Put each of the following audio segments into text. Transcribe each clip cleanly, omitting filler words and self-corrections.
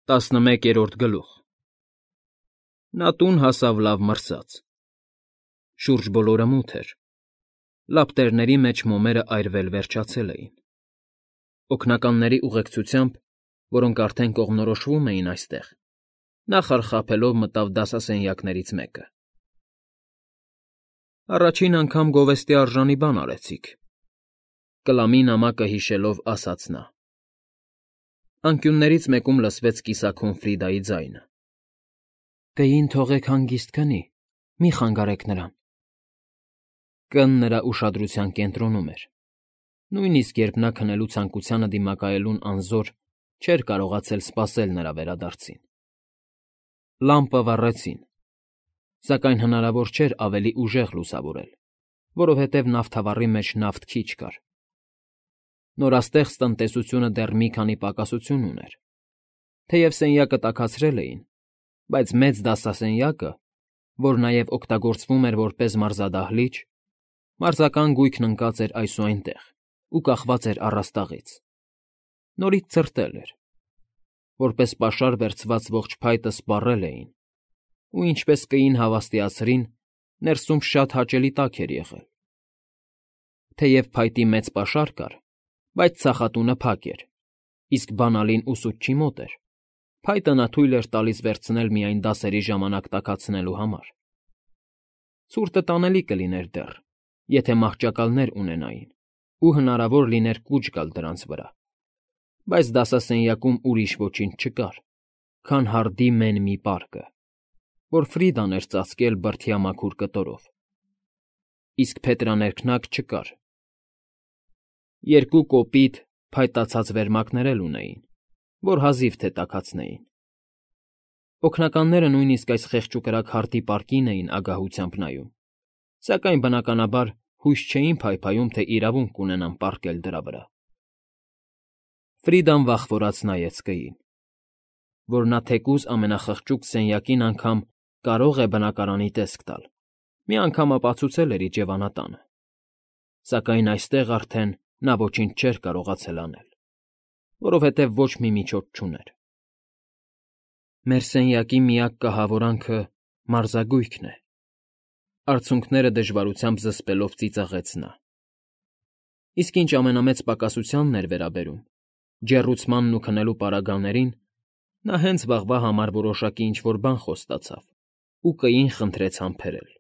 11-րդ գլուխ Նա տուն հասավ լավ մրսած։ Շուրջ բոլորը մութ էր։ Լապտերների մեջ մոմերը այրվել վերջացել էին։ Օգնականների ուղեկցությամբ, որոնք արդեն կողմնորոշվում էին այստեղ, նա խարխափելով մտավ դասասենյակներից մեկը։ Առաջին անգամ գովեստի արժանի բան արեցիք, կլամի նամակը հիշելով ասաց նա։ Անկյուններից մեկում լսվեց կիսաքուն Ֆրիդայի ձայնը. Կային թողեք հանգիստ քնի, մի խանգարեք նրան։ Կն նրա ուշադրության կենտրոնում էր։ Նույնիսկ երբ նա քնելու ցանկությանը դիմակայելուն անզոր չէր կարողացել սպասել նրա վերադարձին։ Լամպը վառեցին, սակայն հնարավոր չէր ավելի ուժեղ լուսավորել, որովհետև նավթավառի մեջ նավթ քիչ կար։ Նորաստեղծ տնտեսությունը դեռ մի քանի պակասություն ուներ։ Թեև սենյակը տաքացրել էին, բայց մեծ դասասենյակը, որ նաև օգտագործվում էր որպես մարզադահլիճ, մարզական գույքն ընկած էր այս ու այնտեղ ու կախված էր առաստաղից։ Նորից ցրտել էր։ Որպես պաշար վերցված ողջ փայտը սպառել էին, ու ինչպես կին հավաստիացրին, ներսում շատ հաճելի տաք էր եղել։ Թեև փայտի մեծ պաշար կար, բայց ծախատունը փակ էր, իսկ բանալին ուսուցչի մոտ էր։ Փայտը նա թույլ էր տալիս վերցնել միայն դասերի ժամանակ տաքացնելու համար։ Ցուրտը տանելի կլիներ դեռ, եթե մահճակալներ ունենային, ու հնարավոր լիներ կուչ գալ դրանց վրա, բայց դասասենյակում ուրիշ ոչինչ չկար, քան հարդի մեն մի պարկը, որ Ֆրիդան էր ծածկել բրդյա մաքուր կտորով։ Իսկ փետրաներքնակ չկար։ Երկու կոպիտ, փայտացած վերմակներ էլ ունեին, որ հազիվ թե տաքացնեին։ Օգնականները նույնիսկ այս խեղճուկրակ հարդի պարկին էին ագահությամբ նայում, սակայն բնականաբար հույս չէին փայփայում, թե իրավունք կունենան պառկել դրա վրա։ Ֆրիդան վախվորած նայեց կին, որ նա թեկուզ ամենախղճուկ սենյակին անգամ կարող է բնակարանի տեսք տալ, մի անգամ ապացուցել էր իջևանատանը, սակայն այստեղ արդեն նա ոչինչ չէր կարողացել անել, որովհետև ոչ մի միջոց չուներ։ Մեր սենյակի միակ կահավորանքը մարզագույքն է, արցունքները դժվարությամբ զսպելով ծիծաղեց նա։ Իսկ ինչ ամենամեծ պակասությանն էր վերաբերում, ջեռուցմանն ու քնելու պարագաներին, նա հենց վաղվա համար որոշակի ինչ-որ բան խոստացավ ու կին խնդրեց համբերել։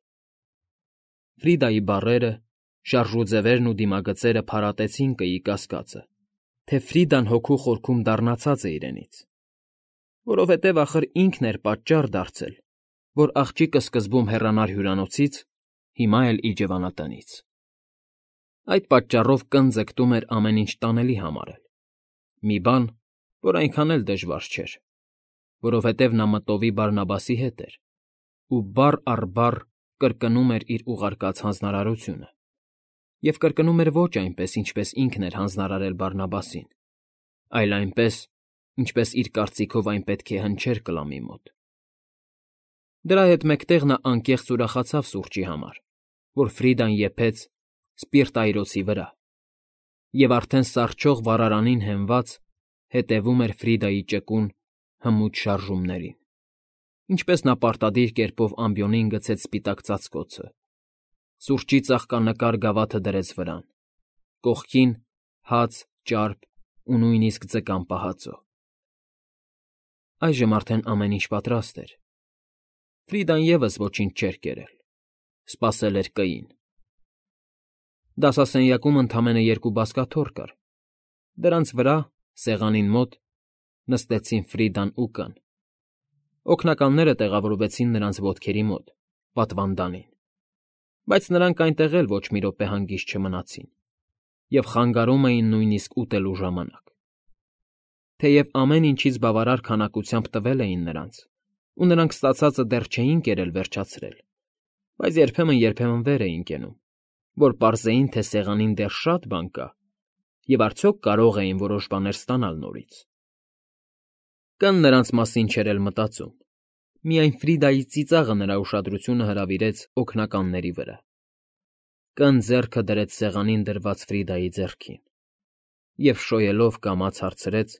Ֆրիդայի բառերը, շարժուձևերն ու դիմագծերը փարատեցին կիի կասկածը, թե Ֆրիդան հոգու խորքում դառնացած է իրենից, որովհետև ախր ինքն էր պատճառ դարձել, որ աղջիկը սկզբում հեռանար հյուրանոցից, հիմա էլ իջևանատնից։ Այդ պատճառով կն ձգտում էր ամեն ինչ տանելի համարել, մի բան, որ այնքան էլ դժվար չէր, որովհետև նա մտովի Բարնաբասի հետ էր ու բառ առ բառ կրկնում էր իր ուղարկած հանձնարարությունը, և կրկնում էր ոչ այնպես, ինչպես ինքն էր հանձնարարել Բարնաբասին, այլ այնպես, ինչպես իր կարծիքով այն պետք է հնչեր կլամի մոտ։ Դրա հետ մեկտեղ նա անկեղծ ուրախացավ սուրճի համար, որ Ֆրիդան եփեց սպիրտայրոցի վրա, և արդեն սառչող վառարանին հենված հետևում էր Ֆրիդայի ճկուն, հմուտ շարժումներին, ինչպես նա պարտադիր կերպով ամբիոնին գցեց սպիտակ ծածկոցը, սուրճի ծաղկանկար գավաթը դրեց վրան, կողքին հաց, ճարպ ու նույնիսկ ձկան պահածո։ Այժմ արդեն ամեն ինչ պատրաստ էր։ Ֆրիդան ևս ոչինչ չէր կերել, սպասել էր կին։ Դասասենյակում ընդամենը երկու բազկաթոռ կար։ Դրանց վրա, սեղանին մոտ, նստեցին Ֆրիդան ու կն։ Օգնականները տեղավորվեցին նրանց ոտքերի մոտ, պատվանդանին, բայց նրանք այնտեղ էլ ոչ մի րոպե հանգիստ չմնացին և խանգարում էին նույնիսկ ուտելու ժամանակ։ Թեև ամեն ինչից բավարար քանակությամբ տվել էին նրանց, ու նրանք ստացածը դեռ չէին կերել վերջացրել, բայց երբեմն վեր էին կենում, որ պարզեին, թե սեղանին դեռ շատ բան կա, և արդյոք կարող էին որոշ բաներ ստանալ նորից։ Կն նրանց մասին չէր էլ մտածում, միայն Ֆրիդայի ծիծաղը նրա ուշադրությունը հրավիրեց օգնականների վրա։ Կն ձեռքը դրեց սեղանին դրված Ֆրիդայի ձեռքին և շոյելով կամաց հարցրեց,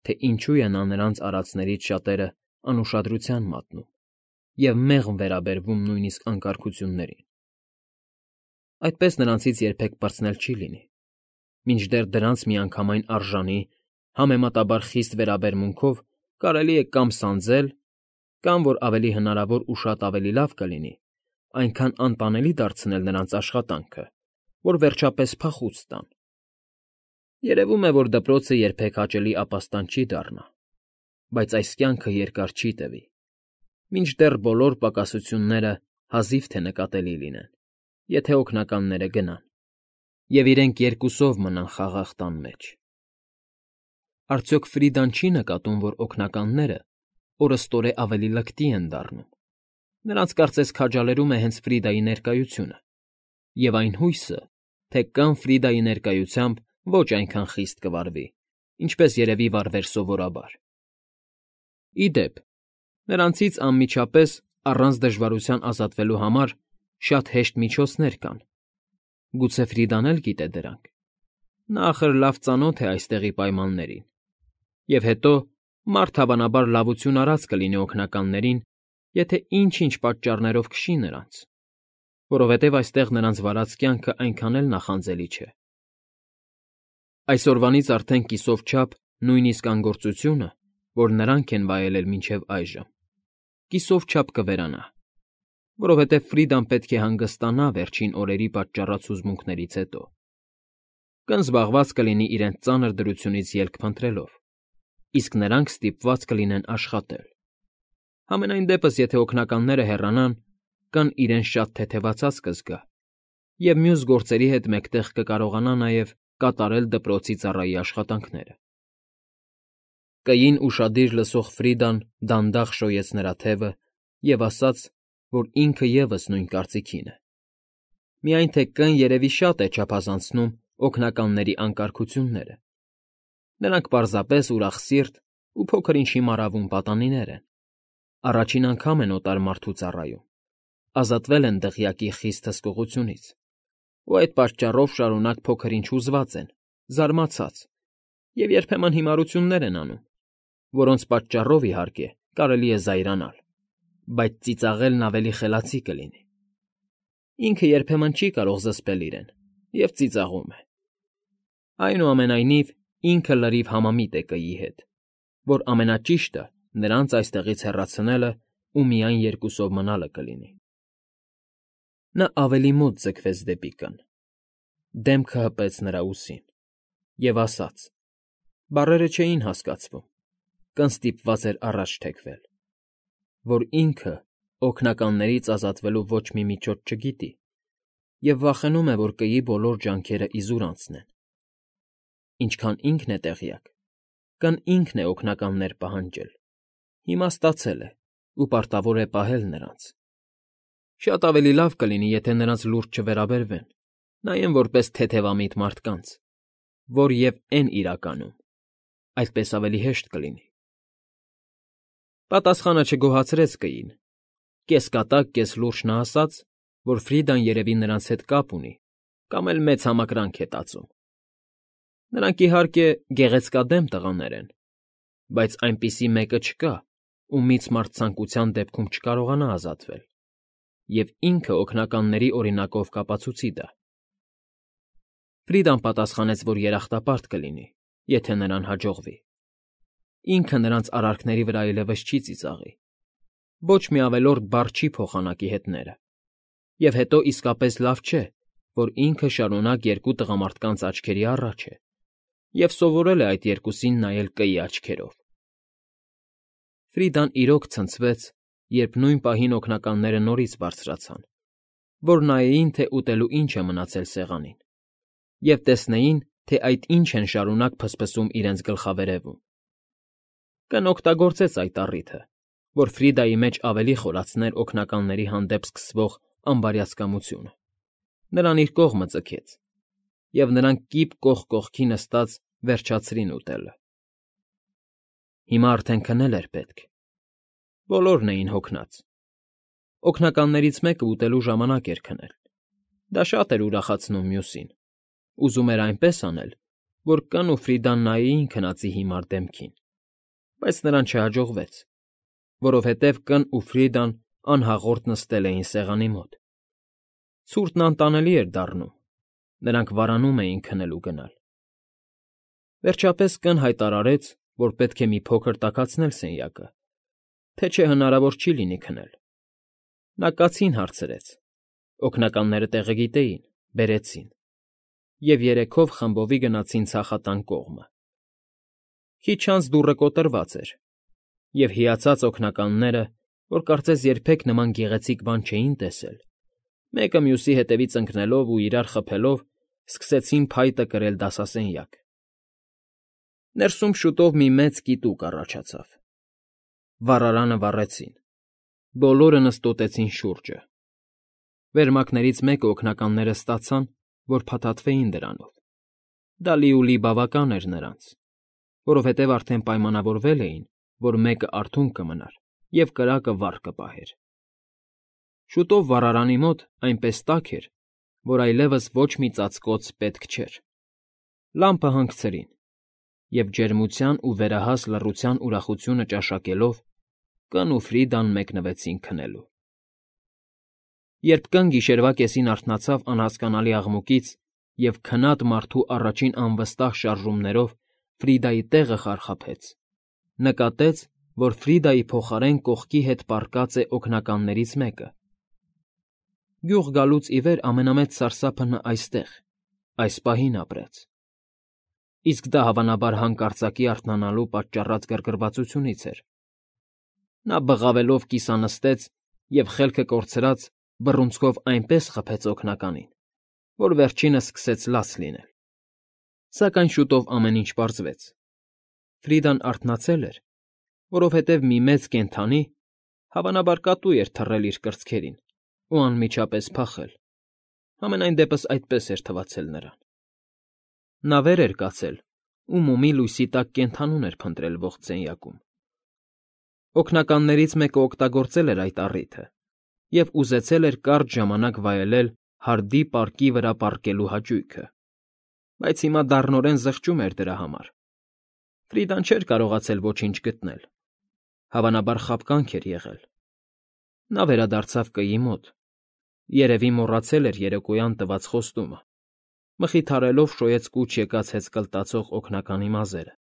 թե ինչու է նա նրանց արածներից շատերը անուշադրության մատնում և մեղմ վերաբերվում նույնիսկ անկարգություններին։ Այդպես նրանցից երբեք պրծնել չի լինի, մինչդեռ դրանց միանգամայն արժանի, համեմատաբար խիստ վերաբերմունքով կարելի է կամ սանձել, կամ, որ ավելի հնարավոր ու շատ ավելի լավ կլինի, այնքան անտանելի դարձնել նրանց աշխատանքը, որ վերջապես փախուց տան։ Երևում է, որ դպրոցը երբեք հաճելի ապաստան չի դառնա, բայց այս կյանքը երկար չի տևի, մինչդեռ բոլոր պակասությունները հազիվ թե նկատելի լինեն, եթե օգնականները գնան, և իրենք երկուսով մնան խաղաղ տան մեջ։ Արդյոք Ֆրիդան չի նկատում, որ օգնականները օրըստօրե ավելի լկտի են դառնում։ Նրանց կարծես քաջալերում է հենց Ֆրիդայի ներկայությունը, և այն հույսը, թե կամ Ֆրիդայի ներկայությամբ ոչ այնքան խիստ կվարվի, ինչպես երևի վարվեր սովորաբար։ Ի դեպ, նրանցից անմիջապես առանց դժվարության ազատվելու համար շատ հեշտ միջոցներ կան։ Գուցե Ֆրիդան էլ գիտե դրանք։ Նա ախր լավ ծանոթ է այստեղի պայմաններին։ Եվ հետո մարդ հավանաբար լավություն արած կլինի օգնականներին, եթե ինչ-ինչ պատճառներով քշի նրանց, որովհետև այստեղ նրանց վարած կյանքը այնքան էլ նախանձելի չէ։ Այսօրվանից արդեն կիսով չափ նույնիսկ անգործությունը, որ նրանք են վայելել մինչև այժմ, կիսով չափ կվերանա, որովհետև Ֆրիդան պետք է հանգստանա վերջին օրերի պատճառած հուզմունքներից հետո։ Կնզբաղված կլինի իրենց ծանր դրությունից ելք փնտրելով, իսկ նրանք ստիպված կլինեն աշխատել։ Համենայն դեպս, եթե օգնականները հեռանան, կան իրեն շատ թեթևացած կզգա, և մյուս գործերի հետ մեկտեղ կկարողանա նաև կատարել դպրոցի ծառայի աշխատանքները։ Կային ուշադիր լսող Ֆրիդան դանդաղ շոյեց նրա թևը և ասաց, որ ինքը ևս նույն կարծիքին է։ Միայն թե Կ֊ն երևի շատ է չափազանցնում օգնականների անկարգությունները։ Նրանք պարզապես ուրախ սիրտ ու փոքր-ինչ հիմարավուն պատանիներ են։ Առաջին անգամ են օտար մարդու ծառայում, ազատվել են դղյակի խիստ հսկողությունից, ու այդ պատճառով շարունակ փոքր֊ինչ հուզված են, զարմացած, և երբեմն հիմարություններ են անում, որոնց պատճառով, իհարկե, կարելի է զայրանալ, բայց ծիծաղելն ավելի խելացի կլինի։ Ինքը երբեմն չի կարող զսպել իրեն և ծիծաղում է։ Այնուամենայնիվ, ինքը լրիվ համամիտ է Կ֊ի հետ, որ ամենաճիշտը նրանց այստեղից հեռացնելը ու միայն երկուսով մնալը կլինի։ Նա ավելի մոտ ձգվեց դեպի Կ֊ն, դեմքը հպեց նրա ուսին և ասաց. բառերը չէին հասկացվում, Կ֊ն ստիպված էր առաջ թեքվել, որ ինքը օգնականներից ազատվելու ոչ մի միջոց չգիտի և վախենում է, որ Կ֊ի բոլոր ջանքերը իզուր անցնեն։ Ինչքան ինքն է տեղյակ, Կ֊ն ինքն է օգնականներ պահանջել, հիմա ստացել է ու պարտավոր է պահել նրանց։ Շատ ավելի լավ կլինի, եթե նրանց լուրջ չվերաբերվեն, նայեն որպես թեթևամիտ մարդկանց, որ և են իրականում, այդպես ավելի հեշտ կլինի։ Պատասխանը չգոհացրեց Կ֊ին, կես֊կատակ, կես֊լուրջ նա ասաց, որ Ֆրիդան երևի նրանց հետ կապ ունի կամ էլ մեծ համակրանք է տածում։ Նրանք, իհարկե, գեղեցկադեմ տղաներ են, բայց այնպիսի մեկը չկա, ումից մարդ ցանկության դեպքում չկարողանա ազատվել, և ինքը օգնականների օրինակով կապացուցի դա։ Ֆրիդան պատասխանեց, որ երախտապարտ կլինի, եթե նրան հաջողվի։ Ինքը նրանց արարքների վրա այլևս չի ծիծաղի, ոչ մի ավելորդ բառ չի փոխանակի հետները, և հետո իսկապես լավ չէ, որ ինքը շարունակ երկու տղամարդկանց աչքերի առաջ է և սովորել է այդ երկուսին նայել Կ֊ի աչքերով։ Ֆրիդան իրոք ցնցվեց, երբ նույն պահին օգնականները նորից բարձրացան, որ նայեին, թե ուտելու ինչ է մնացել սեղանին, և տեսնեին, թե այդ ինչ են շարունակ փսփսում իրենց գլխավերևում։ Կ֊ն օգտագործեց այդ առիթը, որ Ֆրիդայի մեջ ավելի խորացներ օգնականների հանդեպ սկսվող անբարյացկամությունը, նրան իր կողմը ձգեց, և նրանք կիպ կողք կողքի նստած վերջացրին ուտելը։ Հիմա արդեն քնել էր պետք։ Բոլորն էին հոգնած։ Օգնականներից մեկը ուտելու ժամանակ էր քնել։ Դա շատ էր ուրախացնում մյուսին, ուզում էր այնպես անել, որ Կ֊ն ու Ֆրիդան նայեին քնածի հիմար դեմքին բայց նրան չհաջողվեց, որովհետև կն ու Ֆրիդան անհաղորդ նստել էին սեղանի մոտ։ Ցուրտն անտանելի էր դառնում, նրանք վարանում էին քնել ու գնալ։ Վերջապես կն հայտարարեց, որ պետք է մի փոքր տաքացնել սենյակը, թե չէ հնարավոր չի լինի քնել։ Նա կացին հարցրեց, օգնականները տեղը գիտեին, բերեցին, և երեքով խմբովի գնացին ցախատան կողմը։ Քիչ անց դուռը կոտրված էր, և հիացած օգնականները, որ կարծես երբեք նման գեղեցիկ բան չէին տեսել, մեկը մյուսի հետևից ընկնելով ու իրար խփելով, սկսեցին փայտը կրել դասասենյակ։ Ներսում շուտով մի մեծ կիտուկ առաջացավ։ Վառարանը վառեցին։ Բոլորը նստոտեցին շուրջը։ Վերմակներից մեկը օգնականները ստացան, որ փաթաթվեին դրանով։ Դա լիուլի բավական էր նրանց, որովհետև արդեն պայմանավորվել էին, որ մեկը արթուն կմնար և կրակը վառ կպահեր։ Շուտով վառարանի մոտ այնպես տաք էր, որ այլևս ոչ մի ծածկոց պետք չէր։ Լամպը հանգցրին, և ջերմության ու վերահաս լռության ուրախությունը ճաշակելով, կն ու Ֆրիդան մեկնվեցին քնելու։ Երբ կն գիշերվա կեսին արթնացավ անհասկանալի աղմուկից և քնած մարդու առաջին անվստահ շարժումներով Ֆրիդայի տեղը խարխափեց, նկատեց, որ Ֆրիդայի փոխարեն կողքի հետ պառկած է օգնականներից մեկը։ Գյուղ գալուց ի վեր ամենամեծ սարսափը նա այստեղ, այս պահին ապրեց։ Իսկ դա հավանաբար հանկարծակի արթնանալու պատճառած գրգռվածությունից էր։ Նա բղավելով կիսանստեց և խելքը կորցրած բռունցքով այնպես խփեց օգնականին, որ վերջինս սկսեց լաց լինել։ Սակայն շուտով ամեն ինչ պարզվեց։ Ֆրիդան արթնացել էր, որովհետև մի մեծ կենդանի, հավանաբար կատու էր թռել իր կրծքերին ու անմիջապես փախել, համենայն դեպս այդպես էր թվացել նրան։ Նա վեր էր կացել ու մոմի լույսի տակ կենդանուն էր փնտրել ողջ սենյակում։ Օգնականներից մեկը օգտագործել էր այդ առիթը և ուզեցել էր կարճ ժամանակ վայելել հարդի պարկի վրա պառկելու հաճույքը, բայց հիմա դառնորեն զղջում էր դրա համար։ Ֆրիդան չէր կարողացել ոչինչ գտնել, հավանաբար խաբկանք էր եղել։ Նա վերադարձավ կգի մոտ, երևի մոռացել էր երեկոյան տված խոստումը, մխիթարելով շոյեց կուչ եկած հեծկլտացող օգնականի մազերը։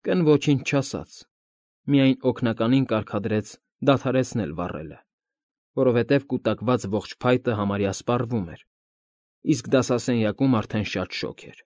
Կն ոչինչ չասաց, միայն օգնականին կարգադրեց դադարեցնել վառելը, որովհետև կուտակված ողջ փայտը համարյա սպառվում էր, իսկ դասասենյակում արդեն շատ շոգ էր։